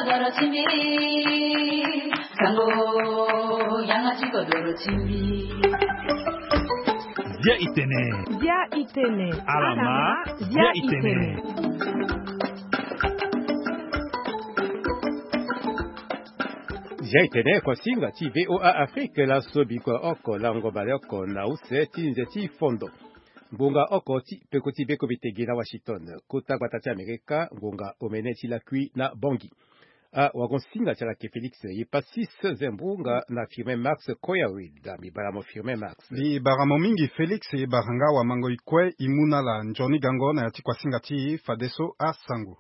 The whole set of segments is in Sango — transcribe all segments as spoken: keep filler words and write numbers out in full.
Zia itene. Zia itene. Alama. Zia itene. Zia itene, kuasinga ti VOA Afrique, laso bikua oko lango baleoko na use ti nze ti fondo. Ngonga oko ti peko ti beko bitege na Washington, kota gbata ti Amerika, ngonga omene ti lakui na Bangui. A wagon singa ti ala ke Félix, ye pa six zembunga na Firmin Max Koyawid. Mbi bara mo Firmin Max. Mbi bara mo mingi Félix, ye bara nga wa mango ikue i mu na ala nzoni gango na ya ti kuasinga ti fadeso asango.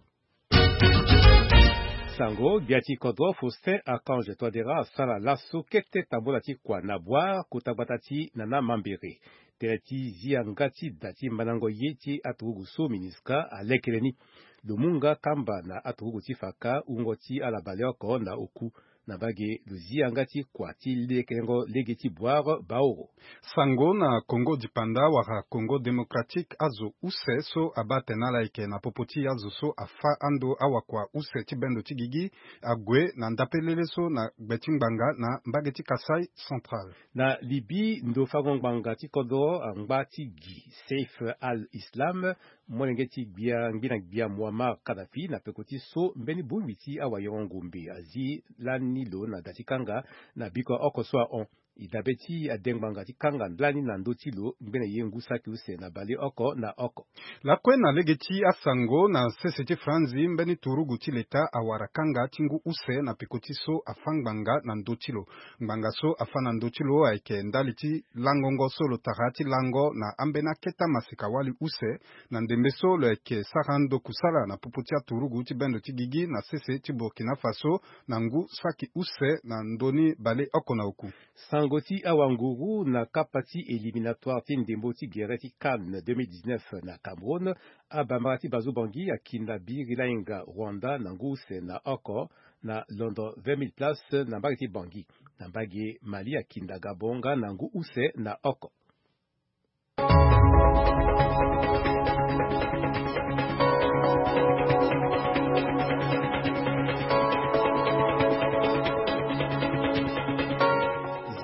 Sango, gbia ti kodro Faustin Archange Touadéra asara laso kete tambola ti kua na bwar kota gbata ti Nana Mambere. Tere ti zi yanga ti da ti mandango ye ti aturugu so MINUSCA alekere ni. Lo mu nga kamba na aturugu ti faka wungo ti ala baleoko na oku. Na mbage lo zi yanga ti kua ti lekerengo lege ti bwar baoro. Sango na Congo dipanda wala Congo démocratique, azo use so abaa tene ala yeke na popo ti azo so afa ando awakua use ti bendo ti gigi ague na ndapelele so na gbe ti ngbanga na mbage ti Kasaï Central. Na Libye, ndo fango ngbanga ti kodro angba ti gi Saif al-Islam, molenge ti gbia ngbina gbia Muammar Kadhafi, na peko ti so mbeni bongbi ti awayoro ngombe azi lani lo na da ti kanga na bikua oko so ahon. E dabe ti adengbanga ti kanga lani na ndö ti lo ngbene ye ngu saki use na baleoko na oko. Lakue na lege ti asango na sese ti Franzi, mbeni turugu ti leta awara kanga ti ngu use na peko ti so afa ngbanga na ndö ti lo. Ngbanga so afa na ndö ti lo ayeke ndali ti langongo so lo tara ti lango na ambeni aketa masika wali use, na ndembe so lo yeke sara ndo kusala na popo ti aturugu ti bendo ti gigi na sese ti Burkina Faso na ngu saki use na ndö ni baleoko na oku. Sango ti awanguru na kapa ti éliminatoire ti ndembo ti gere ti CAN deux mille dix-neuf na Cameroun, abambara ti Bazu Bangui akinda Biri Lainga Rwanda na ngu use na oko na londo vingt mille places na mbage ti Bangui. Na mbage Mali akinda Gabon nga na ngu use na oko.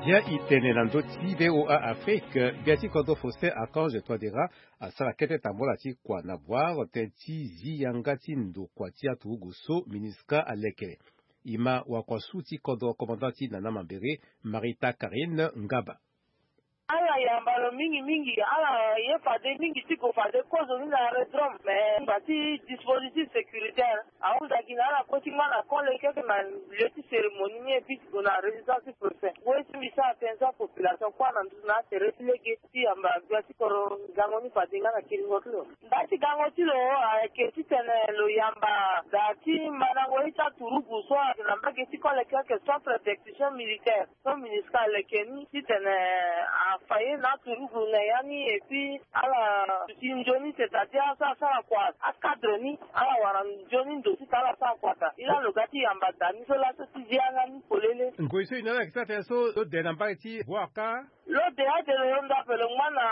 Zia itene na ndö ti VOA Afrique, gbia ti kodro Faustin Archange Touadéra asara kete tambola ti kua na bwar tënë ti zi yanga ti ndo kua ti aturugu so MINUSCA aleke. E ma wakuasu ti kodro commandant ti Nana Mambere, Marita Karine Ngaba. Ala yamba lo mingi mingi, ala ye fade mingi ti gue fade kozo ni na aérodrome, mais ngba ti dispositif sécuritaire ahunda gi na ala kue ti ngba na kole keke na lieu ti cérémonie ni, et puis ti gue na résidence ti préfet. Ngoi ti mbi sara tënë ti apopulation kue na nduzu na atere ti lege ti yamba gbia ti kodro gango ni fade nga na kiringo ti lo. Nda ti gango ti lo ayeke titene lo yamba da ti mandango ye ti aturugu so ayeke na mbage ti kole keke, centre d'exécution militaire so MINUSCA aleke ni, titene afa ye na aturugu na ya ni, et puis ala duti nzoni, c'est-à-dire so asara kua acadre ni, ala wara nzoni ndo titene ala sara kua daa. Ila lo ga ti yamba da ni so laso ti zi yanga ni polele. Ngoi so e na ala yeke sara tënë so lo de na mbage ti bwar ka? Lo de ade lo londo ape, lo ngba na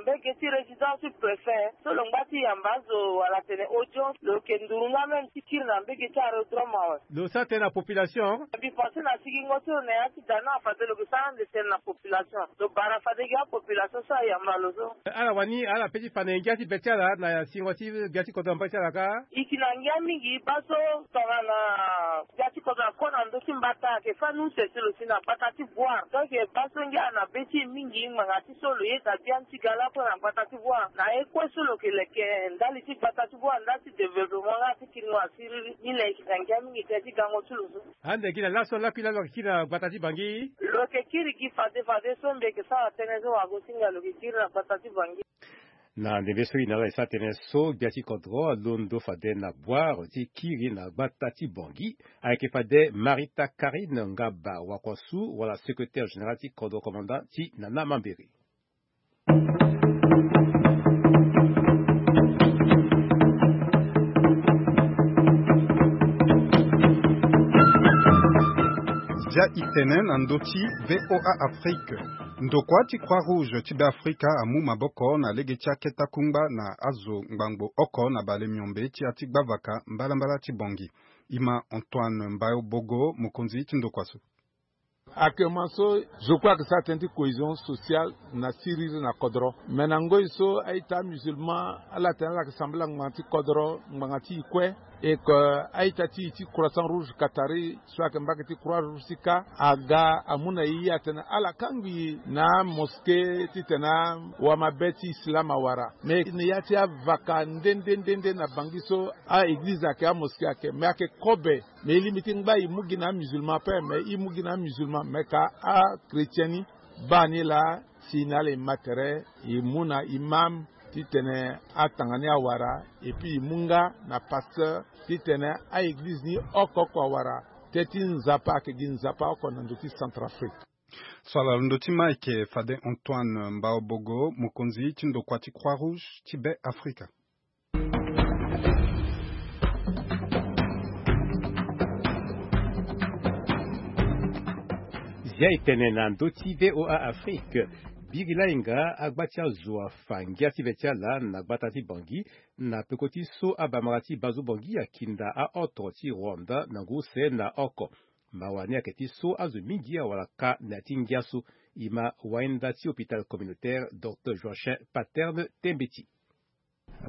mbage ti résidence ti préfet so lo ngba ti yamba azo wala tene audience, lo yeke nduru nga même ti kiri na mbage ti aérodrome awe. Lo sara tënë na population? Mbi pense na sigingo ti lo na ya ti da ni awe fade lo yeke sara ande tënë na population. Lo bara fade gi apopulation so ayamba lo so. Ala wani ala pe ti fa na ngia ti be ti ala na sigingo ti gbia ti kodro na mbage ti ala ka? E yeke na ngia mingi baa so tongana gbia ti kodro akue na ndö ti mbata ayeke fâ ni use ti lo si na gbata ti bwar. Donc baa so ngia na be ti e mingi ngbanga ti so lo yeda biani ti ga lakue na gbata ti bwar. Na ye kue so lo yeke leke ndali ti gbata ti bwar, ndali ti développement nga ti kiringo asiriri. Ni na e yeke na ngia mingi tënë ti gango ti lo so. Ande gi na laso lakui laa lo yeke kiri na gbata ti Bangui? Lo yeke kiri gi fade fade so mbi yeke sara tënë so wago ti ngai lo yeke kiri na gbata ti Bangui. Na ndembe so e na ala e sara tënë so gbia ti kodro alondo fade na bwar ti kiri na gbata ti Bangui. Ayeke fade Marita Karine Ngaba Wakuasu wala secrétaire général ti kodro commandant ti Nana Mambere. Zia itene na ndö ti VOA Afrique. Ndokua ti Croix Rouge ti Beafrika amu maboko na lege ti akete akungba na azo ngbangbo oko na bale miombe ti ya ti gbavaka mbalambala ti Bangui. Ima Antoine Mbayobogo, mokonzi ti ndokua so. Actuellement so, zo kue ayeke sara tënë ti cohésion sociale na siriri na kodro. Me na ngoi so a-ita amusulman ala tene ala yeke sambela ngbanga ti kodro, ngbanga ti e kue. E ke a-ita ti e ti Croissant Rouge Qatari so ayeke mbage ti Croix Rouge ti ka aga amu na e atene ala kangbi na amosquée titene awamabe ti islam awara. Me na ya ti avaka nde nde nde nde na Bangui so, a-eglize ayeke, amosquée ayeke, me ayeke kobe. Me e lingbi ti ngba e mu gi na amusulman ape, me e mu gi na amusulman, me ka achrétien ni baa ni laa. Si na ala e ma tere, e mu na imam titene atanga ni awara, et puis e mu nga na pasteur titene a-eglize ni oko oko awara. Tënë ti Nzapa ayeke gi Nzapa oko na ndö ti Centrafrique. So ala londo ti ma ayeke fade Antoine Mbaobogo, mokonzi ti ndokua ti Croix Rouge ti Be Afrika. Zia e tene na ndö ti V O A Afrique. Biri lahinga agba ti azo afa ngia ti ve ti ala na gbata ti Bangui, na peko ti so abamara ti Bazo Bangui akinda aoto ti Rwanda na ngu use na oko. Mawa ni ayeke ti so azo mingi awara ka na ya ti ngia so. E ma wainda ti hôpital communautaire, docteur Joachin Paterne Tembeti.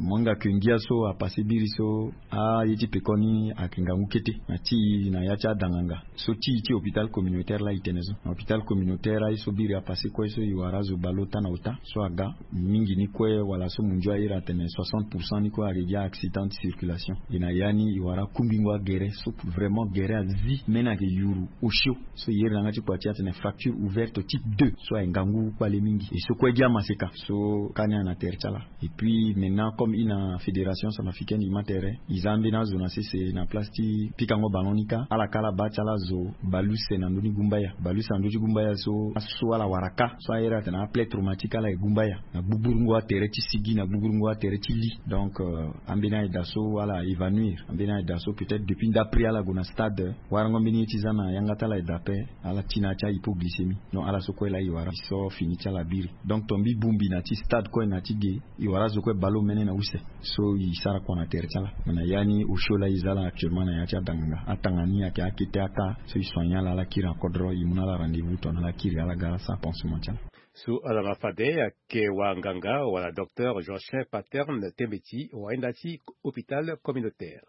Mo hinga ke ngia so apasse biri so, aye ti pekoni ayeke ngangu kete na ti e na ya ti adanganga. So ti e ti hôpital communautaire laa e tene so. Na hôpital communautaire aye so biri apasse kue so e wara azo bale ota na ota so aga. Mingi ni kue wala so mondio a iri atene soixante pour cent ni kue ayeke gi a-accident de circulation. E na ya ni e wara kungbingo agere so vraiment gere azi, mbeni ayeke yuru osio. So e iri na yanga ti kua ti e atene fracture ouverte type deux so ayeke ngangu kpale mingi. E so kue gi amaseka so ka ni ayeke na tere ti ala. Et puis maintenant, comme e na fédération centrafricaine, e ma tere, e za ambeni azo na sese na place ti pikango ballon ni ka, ala ka ala baa ti ala azo bale use na ndö ni gumbaya. Bale use na ndö ti gumbaya so, aso ala wara ka so a iri atene aplaie traumatique, ala ye gumbaya na gbugburu ngo atere ti sigi, na gbugburu ngo atere ti li. Donc, euh, ambeni aye daa so ala évanouir, ambeni aye daa so peut-être depuis ndapri ala gue na stade, warango mbeni ye ti za na yanga ti ala aye daa ape, ala ti na ya ti ahypoglycémie. Donc ala so kue laa e wara so fini ti ala biri. Donc tongbi bongbi na ti stade kue na ti ge, e wara azo kue bale omene na use. So e sara kua na tere ti ala. Me na ya ni osio laa e za laa actuellement na ya ti adanganga, atanga ni ayeke akete aka so e soigner ala, ala kiri na kodro, e mu na ala rendez-vous tongana ala kiri, ala ga ala sara pansement ti ala. So ala ma fade ayeke wanganga wala docteur Joachin Paterne Tembeti, wainda ti hôpital communautaire.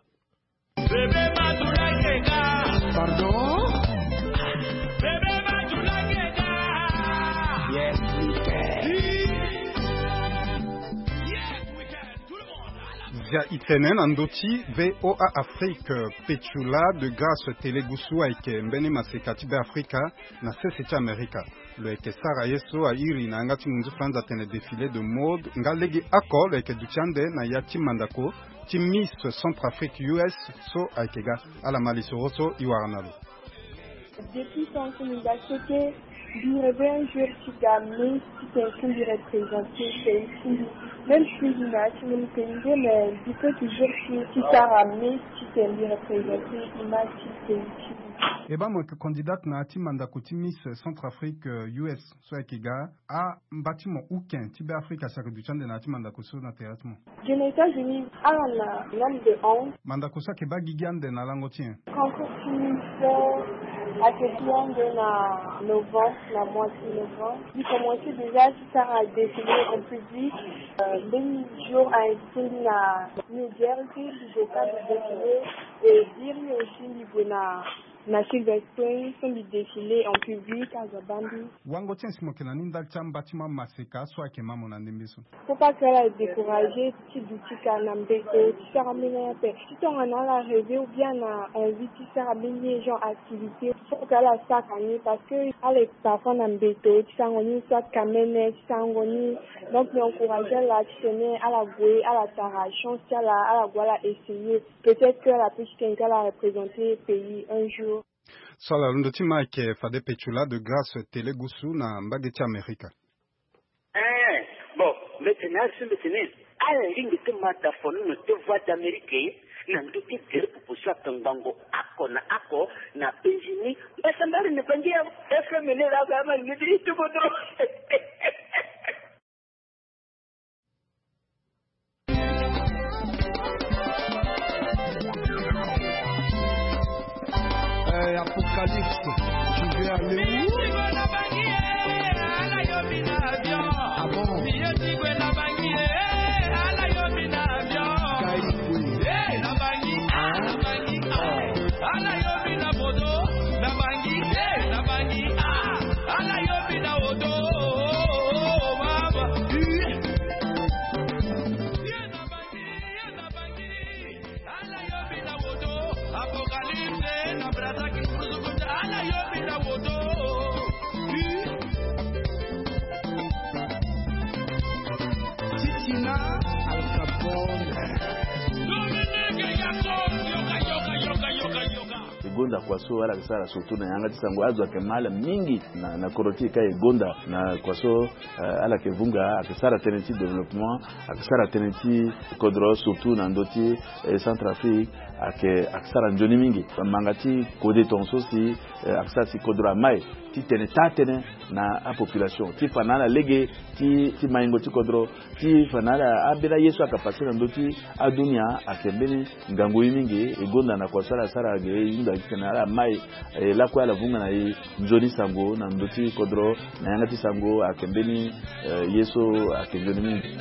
Pardon? Yes, we can. Zia e tene na ndö ti V O A Afrique, Petula de Grâce Telegusu ayeke mbeni maseka ti Beafrika na sese ti Amerika. Lo yeke sara ye so a iri na yanga ti nginzu falanza atene défilé de mode, nga lege oko lo yeke duti ande na ya ti mandako ti Miss Centrafrique U S so ayeke ga. Ala ma lisoro so e wara na lo. Depuis tant que mbi ga kete, mbi rêve un jour ti ga Miss, titene mbi représenter pays ti mbi. Même si mbi na ya ti mon pays nde, mais mbi peut toujours ti, ti sara Miss, titene mbi représenter image ti pays ti mbi. E baa mo yeke candidate na ya ti mandako ti Miss Centrafrique, euh, U S so ayeke ga. Ambatiment uken ti Beafrika si ayeke duti ande na ya ti mandako so na tere ti mo? Ge na États-Unis, ala na nombre de onze. Mandako so ayeke baa gigi ande na lango ti nyen? Concours ti Miss ayeke gi ande na novembre, na mois ti novembre. Mbi commencé déjà ti sara défilé en public. Euh, mbeni jour a invité mbi na New Jersey, mbi gue ka mbi défilé. Et biri aussi mbi gue na, na Silver Spring so mbi défilé en public, azo abaa mbi. Wango ti nyen si mo yeke na ni ndali ti ambatiment maseka so ayeke ma mo na ndembe so? Faut pas que ala décourager ti duti ka na mbeto ti sara mbeni ape. Ti tongana ala rêver ou bien na envie ti sara mbeni genre activité, faut que ala sara ni, parce que ala yeke parfois na mbeto ti sarango ni, soit kamene ti sarango ni. Donc mbi encourager ala titene ala gue, ala tara chance ti ala, ala gue ala essayer. Peut-être que ala peut ti tene que ala représenter pays un jour. So ala londo ti ma ayeke fade Petula de Grâce Telegusu na mbage ti Amerika. Eh, bon, mbi tene asi mbi tene ala lingbi ti ma da fo ni na ti Voix d'Amérique na ndö ti gere popo so ape. Ngangu ako na ako na P J ni. Mbasa mbari na bangi ya F M ni la ba ma ni ti tubo dro. Euh, Apocalypse, tu veux aller où? Ah bon? Guy Boye. Titina Al Capone. E gonda kua so ala yeke sara surtout na yanga ti sango, azo ayeke ma ala mingi na, na kodro ti e ka e gonda na kua so, eh, ala yeke vunga, ayeke sara tënë ti développement, ayeke sara tënë ti kodro surtout na ndö ti, eh, Centrafrique, ayeke, ayeke sara nzoni mingi. Manga ti kode tongaso si, eh, ayeke sara si kodro amai ti tene taa tënë na apopulation ti fa na ala lege ti, ti maingo ti kodro, ti fa na ala ambeni aye so ayeke pase na ndö ti adunia. Ayeke mbeni ngangu ye mingi. E gonda na kua so ala sara ge, e hunda titene ala mai, eh, lakue ala vunga na e nzoni sango na ndö ti kodro, na yanga ti sango. Ayeke mbeni, eh, ye so ayeke nzoni mingi.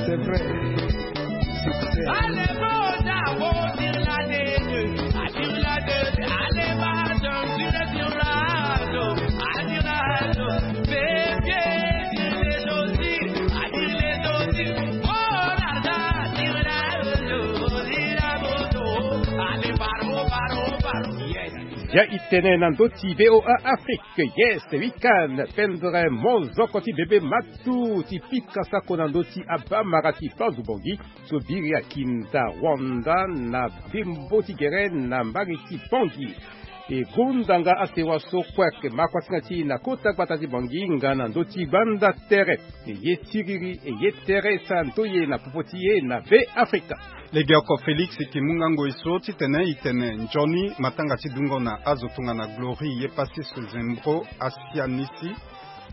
C'est vrai. Succès. Ya e tene na ndö ti V O A Afrique, yes, week-end, pendre mozoko ti bebe matu ti pika sako na ndö ti abamara ti Banzu Bangui so biri akinda Rwanda na bembo ti gere na mbage ti Bangui. E gonda nga asewa so kue ayeke ma kuasinga ti e na kota gbata ti Bangui nga na ndö ti gbanda tere. E ye tiriri, e ye tere, e sara ndoye na popo ti e na Be Afrika. Legeoko Félix e yeke mu nga ngoi so titene e tene nzoni matanga ti dungo na azo tongana Glory Yepassis Zembro Asianisi,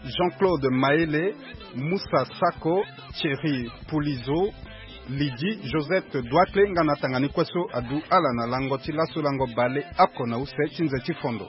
Jean-Claude Maele, Moussa Sako, Thierry Poulizo, Lydie Josette Douakle nga na atanga ni kue so adu ala na lango ti laso lango bale oko na use ti nze ti fondo.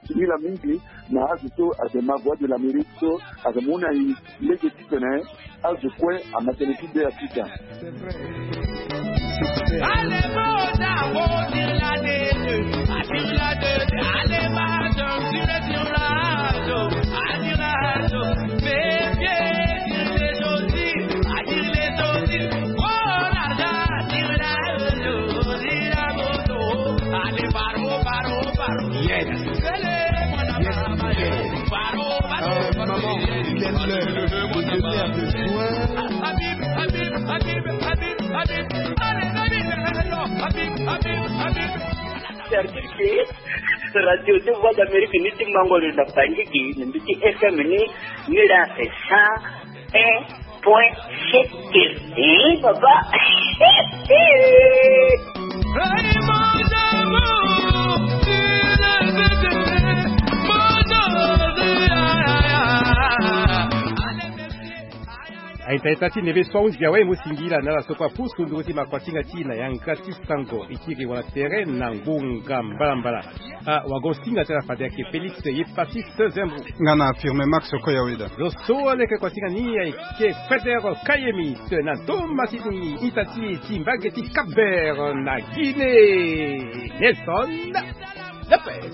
Singila mingi na azo so ayeke ma Voix de l'Amérique so ayeke mu na e lege titene azo kue ama tënë ti be afika. Yes. Yes, yes. Euh, maman, il est l'heure de venir de soin. Service radio de Voix d'Amérique ni ti mango lo na Bangui gi, na mbi ti F M ni, ni la cent un point sept. Eh, papa. Aita ita ti neve so ahunzi awe mo singila na ala so kue apusu nduru ti makuasinga ti na yanga ti sango. E kiri wala tere na ngonga mbalambala. Ah, wago singa ti ala fade ayeke Félix Yepassis Zembro. Nga na Firme Max Koyaweda. Zo so aleke kuasinga ni ayeke Feder Kayemi, na ndo ma ti ni ita ti ti mbage ti Cap Vert na Guinée. Nelson Lopez.